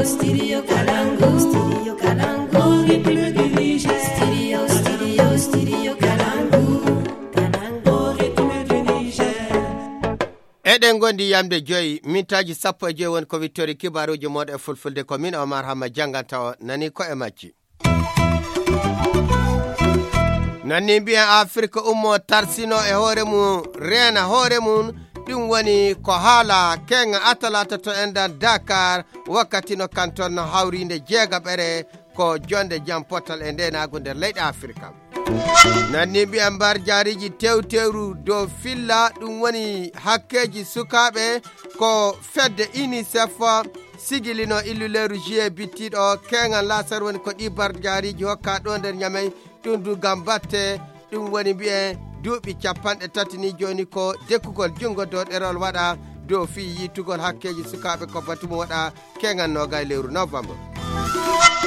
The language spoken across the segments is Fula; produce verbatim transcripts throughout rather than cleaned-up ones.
Studio Kalangu, Studio Kalangu, République du Niger. Studio, Studio, Studio Kalangu, Kalangu, République du Niger. Eɗen ngondi yamde joyi, mintaaji sappo e joyi woni ko wittori kibaaruuji mooɗon e fulfulde. Ko min Omar Hamma jannganta o, nani ko e majji. Nanni mbiyen Afirka ummo tarsino e hoore mum, reena hoore mum. Ɗum woni ko haala keŋa Atalata to enɗan Dakar, wakkati no kanton no hawriinde jeegaɓere ko jonde jam potal e ndeenaagu nder leyɗe Afirka. Nanni mbiyen mbar jaariji tewtewru dow filla, ɗum woni hakkeeji sukaaɓe ko fedde UNICEF sigilino illuleeru juillet bittiiɗo. Keŋal laasar woni ko ɗi barjaariiji hokka ɗo nder Ñamey. Ɗum du ngam batte, ɗum woni mbiyen duuɓi capanɗe tati ni jooni ko dekkugol junngo dow ɗerol waɗa dow fii yiitugol hakkeeji sukaaɓe ko batu mum waɗa keŋal noogay lewru novembre.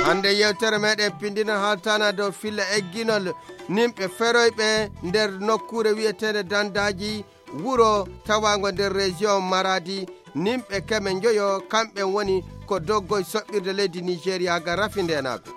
Hannde yewtere meɗen pinndina haaltana dow filla egginol nimɓe feroyɓe nder nokkuure wiyeteende Dandaaji, wuro tawaango nder région Maradi. Nimɓe keme njoyo kamɓe woni ko doggoy soɓɓirde leydi Nigeria ga rafi ndenaagu.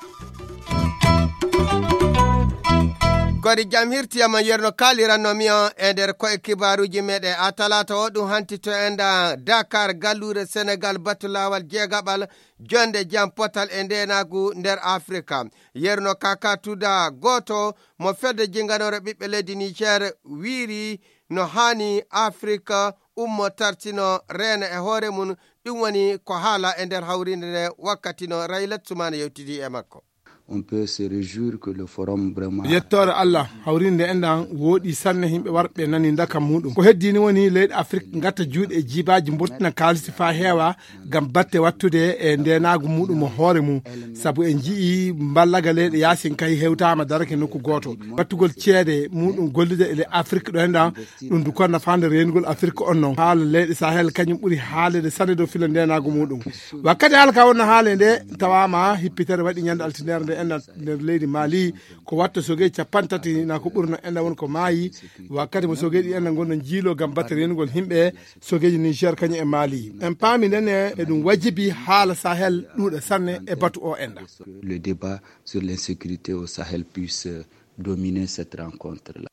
Kodi jam hirtiyama yerno kaalirannomi on e nder koye kibaaruuji meɗen a talaata o ɗum hanti to enda Dakar galluure Senegal batu laawal jeegaɓal jonde jam potal e ndenaagu nder Afrika. Yerno Kaka Tuda gooto mo fedde jinganore ɓiɓɓe leydi Niger wiiri no haani Afrika ummo tartino reena e hoore mum. Ɗum woni ko haala e nder hawrinde nde wakkati no Raylat Sumana yewtidi e makko. On peut se réjouir que le forum vraiment yettoore Allah, hawrinde nde enɗan wooɗi sanne, yimɓe warɓe nani ndaka muɗum. Ko heddi ni woni leyɗe Afrik ngatta juuɗe e jiibaaji mburtina kaalisi faa heewa ngam batte wattude e ndeenaagu muɗum mo hoore mum. Sabu en nji'i mballaga leyɗe yaasin kay hewtaama darake nokku gooto. Battugol ceede muɗum gollude e le Afrik ɗo enɗan, ɗum du ko nafaande reenugol Afrik on non. Haala leyɗe Sahel kañum ɓuri haalede sanne dow filla ndeenaagu muɗum. Wakkati haala ka wonno haale nde tawaama hippitere waɗi ñande altindere nde enɗan nder leydi Mali. Ko watta sogeeji capanɗe tati na ko ɓurno enɗan won ko maayi. Wakkati mo sogeeji enɗan ngonno jiilo ngam batte reenugol yimɓe, sogeeji Niger kañum e Mali. En paami nden e ɗum wajibi haala Sahel ɗuuɗa sanne e batu o enɗan. Le débat sur l'insécurité au Sahel puisse dominer cette rencontre-là.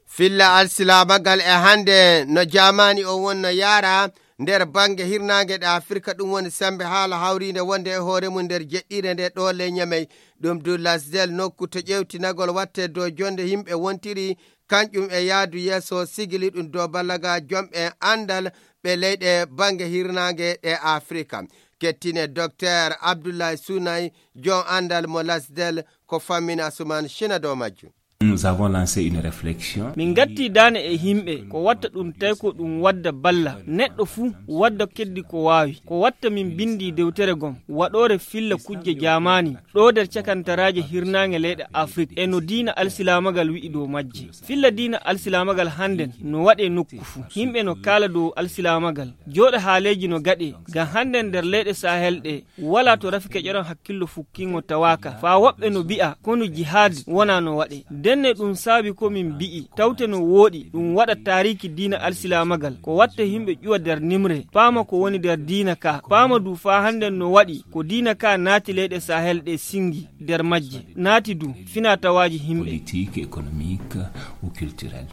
Filla alsilaamagal e hannde no jaamaani o wonno yaara nder bannge hirnaange ɗe Afirka, ɗum woni semmbe haala hawriinde wonde e hoore mum nder jeɗɗiire nde ɗo ley Ñamey. Ɗum du lasdel nokku to ƴeewtinagol watte dow jonde yimɓe wontiri, kanƴum e yaadu yeeso sigili ɗum dow ballaga jomɓe anndal ɓe leyɗe bannge hirnaange ɗe Afirka. Kettine Docteur Abdoulaye Sounay, jom anndal mo lasdel ko fammin Asuman China dow majjum. Nous avons lancé une réflexion. Min ngatti daane e yimɓe ko watta ɗum tawi ko ɗum wadda balla neɗɗo fuu wadda keddi ko waawi. Ko watta min binndi dewtere gom waɗoore filla kujje jaamaani ɗo nder cakantaraaje hirnaange leyɗe Afrik e no diina alsilaamagal wi'i dow majje. Filla diina alsilaamagal hannden no waɗe nokku fuu. Yimɓe no kaala dow alsilaamagal. Jooɗo haaleeji no gaɗe ngam hannden nder leyɗe Sahel ɗe. Walaa to rafi keƴoran hakkillo fukkingo tawaaka. Faa woɓɓe no bi'a konu jihaad wonaa no waɗe. Ndenne ɗum saabi ko min bi'i tawte no wooɗi ɗum waɗa taariiki diina alsilaamagal. Ko watta yimɓe ƴuwa nder nimre, paama ko woni nder diina ka. Paama du faa hannden no waɗi ko diina ka naati leyɗe Sahel ɗe singi nder majje. Naati du finaa-tawaaji yimɓe. Politique, économique ou culturelle.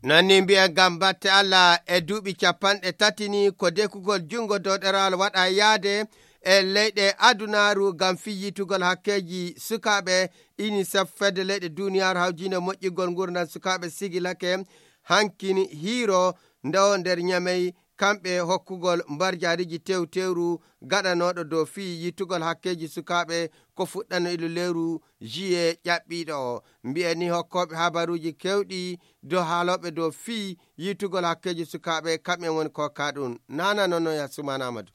Nanni mbiyen ngam batte Allah e duuɓi capanɗe tati ni ko dekugol junngo dow ɗerawal waɗa yaade e leyɗe adunaaru ngam fii yiitugol hakkeeji sukaaɓe. UNICEF fedde leyɗe duuniyaaru hawjiinde moƴƴingol nguurndam sukaaɓe sigilake hankin hiiro ndo nder Ñamey kamɓe hokkugol mbarjaariji tewtewru gaɗanooɗo dow fii yiitugol hakkeeji sukaaɓe ko fuɗɗano ilu lewru juillet ƴaɓɓiiɗo o. Mbiyen ni hokkooɓe habaruuji keewɗi dow haalooɓe dow fii yiitugol hakkeeji sukaaɓe kamɓe woni ko ka ɗum. Nana noon no ya Suman Amadou.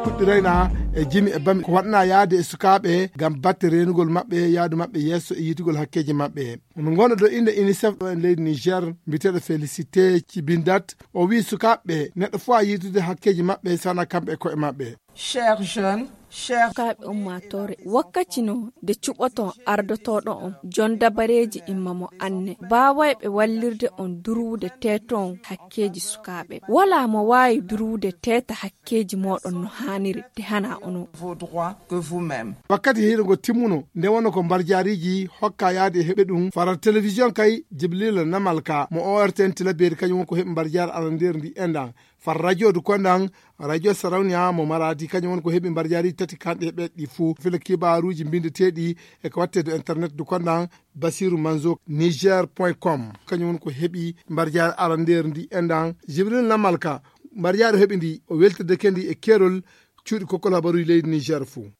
Fuɗɗirayna e jimi e bami ko waɗna yaade e sukaaɓe ngam batte reenugol maɓɓe, yaadu maɓɓe yeeso e yiitugol hakkeeji maɓɓe. Omo ngonda dow innde UNICEF ɗo e leydi Niger, mbiyeteeɗo Félicité Cibindat. O wi'i sukaaɓe neɗɗo fof a yiitude hakkeeji maɓɓe sana kamɓe e koye maɓɓe. Chers jeunes, Sukaaɓe ummaatoore, wakkati no nde cuɓoton ardotooɗo on, jon dabareeji imma mo anne, baawayɓe wallirde on durwude teeto on hakkeeji sukaaɓe. Walaa mo waawi durwude teeta hakkeeji mooɗon no haaniri, nde hana onon. Wakkati hiiro ngo timmuno, nde wonno ko mbarjaariiji hokka yaade e heɓe ɗum, faral telewisiyon kay, Jibrila Namalka, mo O R T N Tilaberi, kañum woni ko heɓi mbarjaari arandeeri ndi enɗan. Far radio du konɗan, radio Sarawniya mo Maradi, kañum woni ko heɓi mbarjaari tati kanɗe heɓeɗe ɗi fuu. Fila kibaaruuji mbindeteeɗi e ko watte do internet du konɗan, Basiru Manzo, niger point com. Kañum woni ko heɓi mbarjaari arandeeri ndi enɗan. Jibril Namalka, mbarjaari o heɓi ndi, o weltirde kendi e keerol cuuɗi kokkol habaruuji leydi Niger fuu.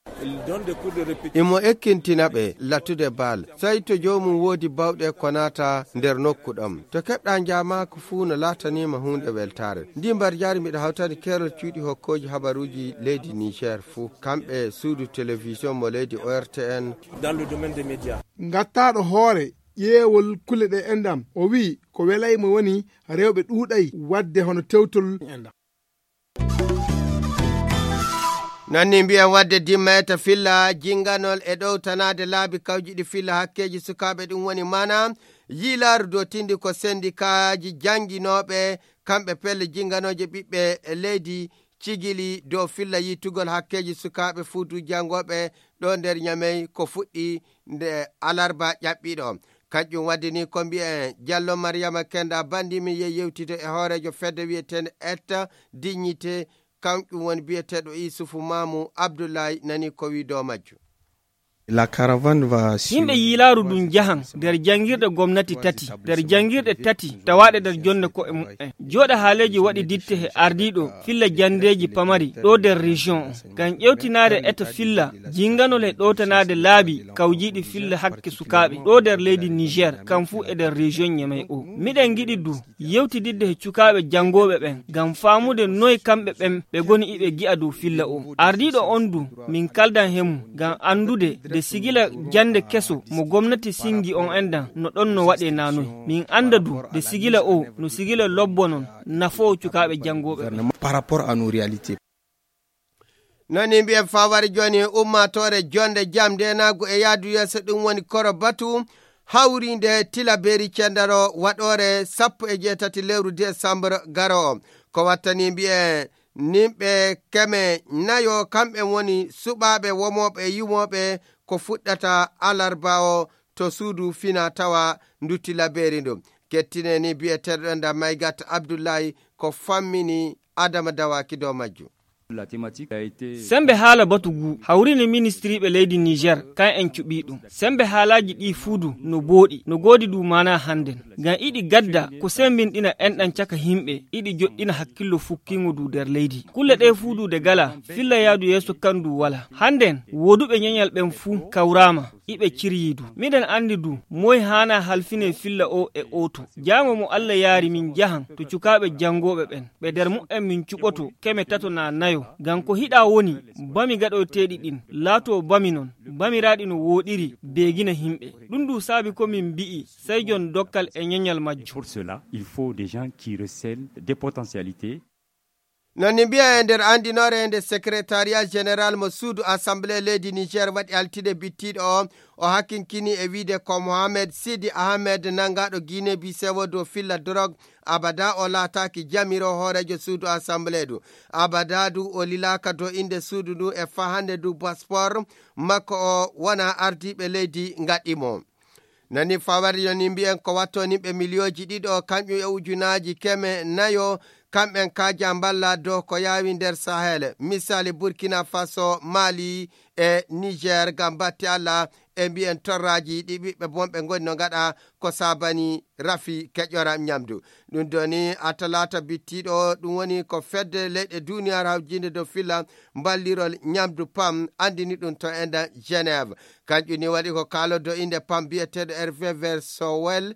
Imo ekkintina ɓe lattude baal, sey to joomum woodi bawɗe ko naata nder nokku ɗam. To keɓɗa njaamaaka fuu no laataniima huunde weltaare. Ndi mbarjaari miɗo hawtani keerol cuuɗi hokkooji habaruuji leydi Niger fuu, kamɓe suudu telewisiyon mo leydi O R T N. Ngattaaɗo hoore ƴeewol kulle ɗe enɗam, o wi'i ko welay mo woni rewɓe ɗuuɗay waɗde hono tewtol. Nanni mbiyen waɗde dimma eta filla jinganol e ɗowtanaade laabi kawjiɗi filla hakkeeji sukaaɓe, ɗum woni maana yiilaaru dotindi ko sendikaaji jannginooɓe, kamɓe pelle jinganooje ɓiɓɓe leydi cigili dow filla yiitugol hakkeeji sukaaɓe fuutu janngooɓe ɗo nder Ñamey ko fuɗɗi nde alarba ƴaɓɓiiɗo. Kanƴum waɗi ni ko mbiyen Jallo Mariyama Kenda Bandi mi yehi yewtide e hooreejo fedde wiyeteende Etta Dignité, kanƴum woni biyeteeɗo Isufu Maamu Abdullahi nani ko wii dow majjum. La caravane va sur Yimɓe yiilaaru ndun njahan nder janngirɗe gomnati tati, nder janngirɗe tati tawaaɗe nder jonnde ko'e mu'en. Jooɗa haaleeji waɗi ditte he ardiiɗo filla janndeeji pamari ɗo nder région o. Ngam ƴewtinaade eto filla jinganol he ɗowtanaade laabi kawjiiɗi filla hakke sukaaɓe ɗo nder leydi Niger, kam fuu e nder région Ñamey o. Miɗen ngiɗi du yewtididde he cukaaɓe janngooɓe ɓen, ngam faamude noy kamɓe ɓen ɓe ngoni iɓe gi'a dow filla o. Ardiiɗo on du, min kaldan he mum, ngam anndude nde sigila jannde keso mo gomnati singi on enɗan no ɗon no waɗee naa noy. Min annda du nde sigila o no sigila lobbo non nafoowo cukaaɓe janngooɓe ɓen. Par rapport à nos réalités. Nani mbiyen fawari jooni ummaatoore jonde jam ndenaagu e yaadu yeeso, ɗum woni koro batu hawriinde Tilaberi Cendaro waɗoore sappo e jeetati lewru desambur garoowo. Ko wattani mbiyen nimɓe keme nayo, kamɓe woni suɓaaɓe womooɓe e yumooɓe ko fuɗɗata alarba o to suudu fina tawa ndu Tilaberi ndu. Kettine ni biyeteeɗo ɗo nda Maygat Abdullahi ko fammini Adama Dawaki dow majjum. Sembe haala batu ngu hawrini ministiriiɓe leydi Niger, kan en cuɓii ɗum. Sembe haalaaji ɗii fuu du no booɗi, no goodi du maanaa hannden. Ngam iɗi gadda ko sembinɗina enɗan caka yimɓe, iɗi joɗɗina hakkillo fukkiingo du nder leydi. Kulle ɗee fuu du ɗe galaa, filla yaadu yeeso kan du walaa. Hannden wooduɓe ñeñal ɓen fuu kawraama, iɓe ciryii du. Miɗen anndi du, moy haanaa halfinee filla oo e ooto. Jaango mo Alla yaari min njahan to cukaaɓe janngooɓe ɓen. Ɓe nder mu'en min cuɓoto keme tato naa nayo. Ngam ko hiɗaa woni, bami gaɗoyteeɗi ɗin, laatoo bami non, bamiraaɗi no wooɗiri, beegina yimɓe. Ɗum du saabi ko min mbi'i, sey jon dokkal e ñeñal majjum. Pour cela, il faut des gens qui recèlent des potentialités. Non ni mbiya e nder anndinoore nde Secrétariat Général mo suudu Assemblée leydi Niger waɗi altine bittiiɗo o, o hakkinkini e wiide ko Mohamed Sidi Ahmed nanngaɗo Guinée Bissau dow filla drogue, abada o laataaki jamiro hooreejo suudu Assemblée du. Abada du o lilaaka dow innde suudu ndu e fahannde ndu passeport makko o wona ardiiɓe leydi ngaɗi mo. Nani fawari yo ni mbiyen ko watto nimɓe miliyooji ɗiɗo, kanƴum e ujunaaji keme nayo, kamɓen kaaja mballa dow ko yaawi nder Sahel. Misali Burkina Faso, Mali e Niger, ngam batti Alla e mbiyen torraaji ɗi ɓiɓɓe bonɓe ngoni no ngaɗa ko saabani rafi keƴora ñamdu. Ɗum doni a talaata bittiiɗo, ɗum woni ko fedde leyɗe duniyaaru hawjinde dow filla mballirol ñamdu pam anndini ɗum to enda Genève. Kanƴum ni waɗi ko kaalodo innde pam biyeteeɗo Hervé Versowel,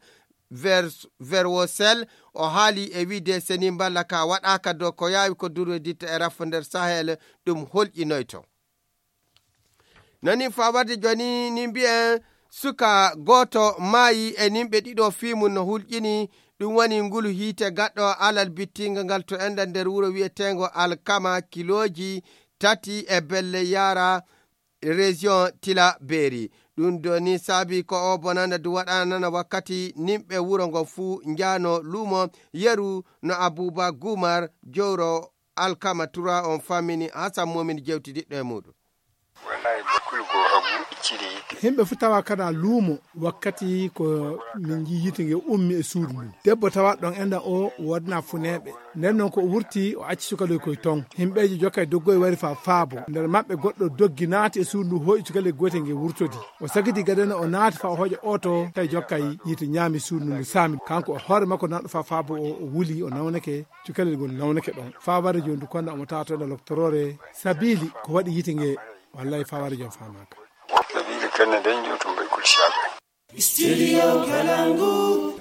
Vers-, Verwosel, o haali e wiide seni mballa ka waɗaaka dow ko yaawi ko durweditta e rafo nder Sahel, ɗum holƴinoyto. Nani faa warde jooni ni mbiyen suka gooto maayi e nimɓe ɗiɗo fii mum no hulƴini, ɗum woni ngulu hiite gaɗɗo alal bittinga ngal to enda nder wuro wiyeteengo Alkama kilooji tati e belle yara, région Tila Beri. Ɗum do ni saabi ko o bonanda du waɗanana wakkati nimɓe wuro ngo fuu njaano luumo yeru no Abuba Gumar jowro Alkama Tura on famini Hasan Momin jewtidiɗɗo e muɗum. Wallahi, bakkulu go hagu cili. Himɓe fu tawa kana luumo wakkati ko min nji yiite nge ummi e suudu ndu. Debbo tawa ɗon enɗan o wodna funeeɓe. Nden noon ko o wurti, o acci sukaloy koy ton. Himɓeeji jokkay doggoy wari fa faabo. Nder maɓɓe goɗɗo doggi naati e suudu ndu, hooƴi sukaloy gootel nge wurtodi. O sagiti gadana, o naati fa o hooƴa oto, tawi jokkay yiite ñaami suudu ndu saami. Kanko o hoore makko nanɗo fa faabo o, o wuli, o nawnake, cukalel ngol nawnake ɗon. Fa warde joni ndu konna omo tawa to ɗo loktoroore. Sabili ko waɗi yiite nge, wallahi fa warde joni famaka. Sabili kanne dañ joni to mbay kulsiyaaɓe. Studio Kalangu.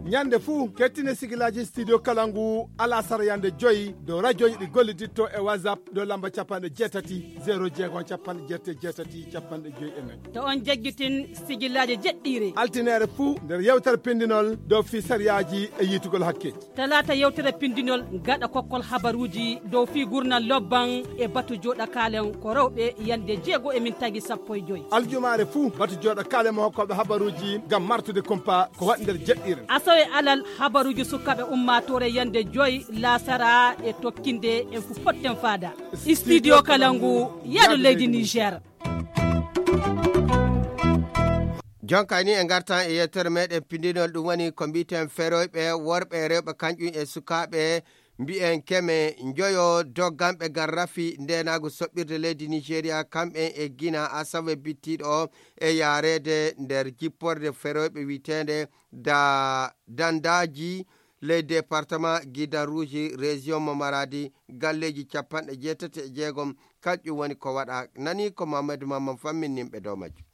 Ñande fuu, kettine sigilaaji Studio Kalangu, alasara yande joyi, dow rajooji ɗi golliditto e WhatsApp, dow lamba capanɗe jeetati, zéro jeego, capanɗe jeetati, capanɗe joyi e nayi. To on jaggitin sigilaaji jeɗɗiire. Altineere fuu, nder yewtere pindinol, dow fii sariyaaji e yiitugol hakke. Talaata yewtere pindinol, gaɗa kokkol habaruuji, dow fii gurnal lobban e batu jooɗa kaalen ko rewɓe yande jeego e min tagi sappo e joyi. Aljumaare fuu, batu jooɗa kaalen mo hokkooɓe habaruuji ngam martude kumpa ko waɗi nder jeɗɗiire. Asawe alal habaruuji sukaaɓe ummaatoore yande joyi laasara e tokkinde en fu potten faada. Studio Kalangu, yaadu leydi Niger. Jonka ni e ngartan e yewtere meɗen pindinol ɗum woni ko mbiten feroyɓe worɓe e rewɓe kañƴum e sukaaɓe mbiyen keme njoyo dogganɓe ngal rafi ndenaagu soɓɓirde leydi Nigeria kamɓen e Gina asawe bittiiɗo o e yaareede nder jipporde feroyɓe wiyeteende da dandaji ley département Gidan Rouge région mo Maradi galleeji capanɗe jeetati e jeegom kañƴum woni ko waɗa nani ko Mamadou Mamman famminimɓe dow majjum.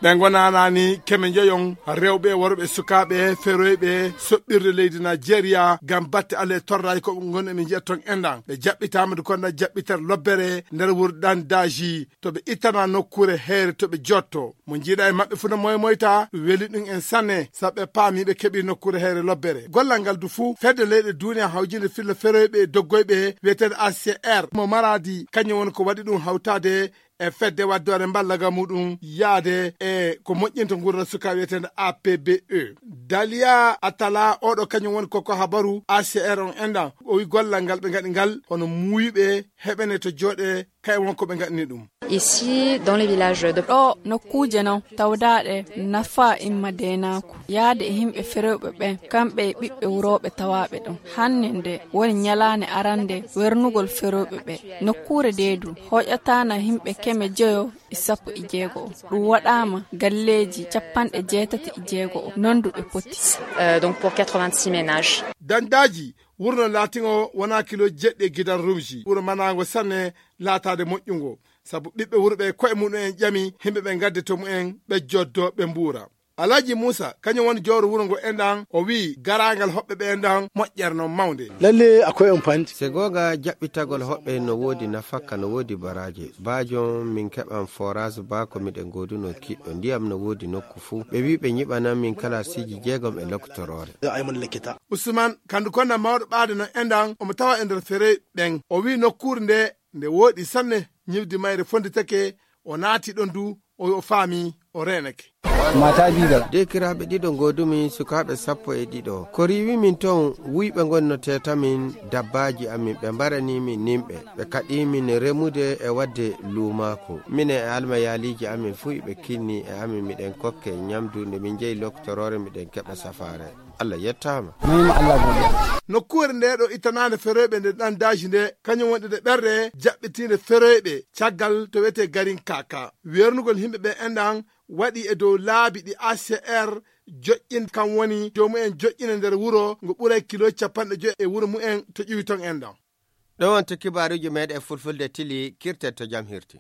Ɓe ngonanani keme njoyon rewɓe worɓe sukaaɓe feroyɓe soɓɓirde leydi Nigeria ngam batte ale torraji ko ɓe ngon emin njiya ton endan ɓe jaɓɓitama du konda jaɓɓitere lobbere nder wurdan daji to ɓe ittana nokkure heere to ɓe jotto mo jiiɗa e maɓɓe fu no moymoyta ɗum weli ɗum en sanne sabu ɓe paami ɓe keɓi nokkure heere lobbere gollal ngal du fuu fedde leyɗe duniya hawjinde filla feroyɓe e doggoyɓe wiyeteeɗo A C R mo Maradi kañum woni ko waɗi ɗum hawtaade e fedde waddoore mballagol muɗum yaade e ko moƴƴinta nguurndam sukaaɓe wiyeteende A P B E. Daliya Atala oɗo kañum woni koko habaru A C R on enɗan o wi gollal ngal ɓe ngaɗi ngal hono muuyɓe heɓene to jooɗe kay won ko ɓe ngaɗni ɗum. Ici dans les villages de ɗo nokkuuje non tawdaaɗe nafa imma deenaaku yaade e yimɓe ferewɓe ɓen kamɓe e ɓiɓɓe wurooɓe tawaaɓe ɗon hannde nde woni ñalaande arande wernugol ferewɓe ɓe nokkuure deedu hoƴataana yimɓe keme joyo e sappo e jeego o ɗum waɗaama galleeji capanɗe jeetati e jeego o nonduɓe poti. Euh, donc pour quatre-vingt-six ménages. Dandaaji wurno laatingo wona kilo jeɗɗi e gidal rumji wuro manaango sanne laataade moƴƴungo sabu ɓiɓɓe wuro ɓe koye muɗum en ƴami yimɓe ɓe ngadde to mumen ɓe joddo ɓe mbuura. Alhaji Muusa kañum woni jowro wuro ngo enɗan o wii garaangal hoɓɓe ɓe enɗan moƴƴere noon mawnde. Lalle akoye on pandi. Se googa jaɓɓitagol hoɓɓe no woodi nafakka no woodi baraaje baajon min keɓan forage baa ko miɗen gooduno kiɗɗo ndiyam no woodi nokku fuu ɓe wii ɓe nyiɓanan min kalaasiiji jeegom e lokitoroore. Usman kandu konna mawɗo ɓaade no enɗan omo tawa e nder fere ɓen o wii nokkuure nde nde wooɗi sanne ñiwdi mayre fonnditake o naati ɗon du o o faami o reenake. Mata bidal. Dekiraaɓe ɗiɗo ngoodumi sukaaɓe sappo e ɗiɗo ko riiwi min toon wuyɓe ngonno teetamin dabbaaji amin ɓe mbarani min nimɓe ɓe kaɗi min remude e waɗde luumaaku minen e almayaaliiji amin fuu iɓe kinni e amin miɗen kokke ñamdu nde min njehi loktoroore miɗen keɓa safaare. Allah yettaama. Nokkuure nde ɗo ittanaande feroyɓe nde ɗan daji nde kañum wonɗi nde ɓerɗe jaɓɓitiinde feroyɓe caggal to wiyetee garin kaka wernugol yimɓe ɓe enɗan waɗi e dow laabi ɗi A C R joƴƴin kam woni joomumen joƴƴina nder wuro ngo ɓuray kilo capanɗe joyi e wuro mumen to ƴiwi ton enɗan. Ɗo wonti kibaaruuji meeɗen fulfulde tili kirten to jam hirti.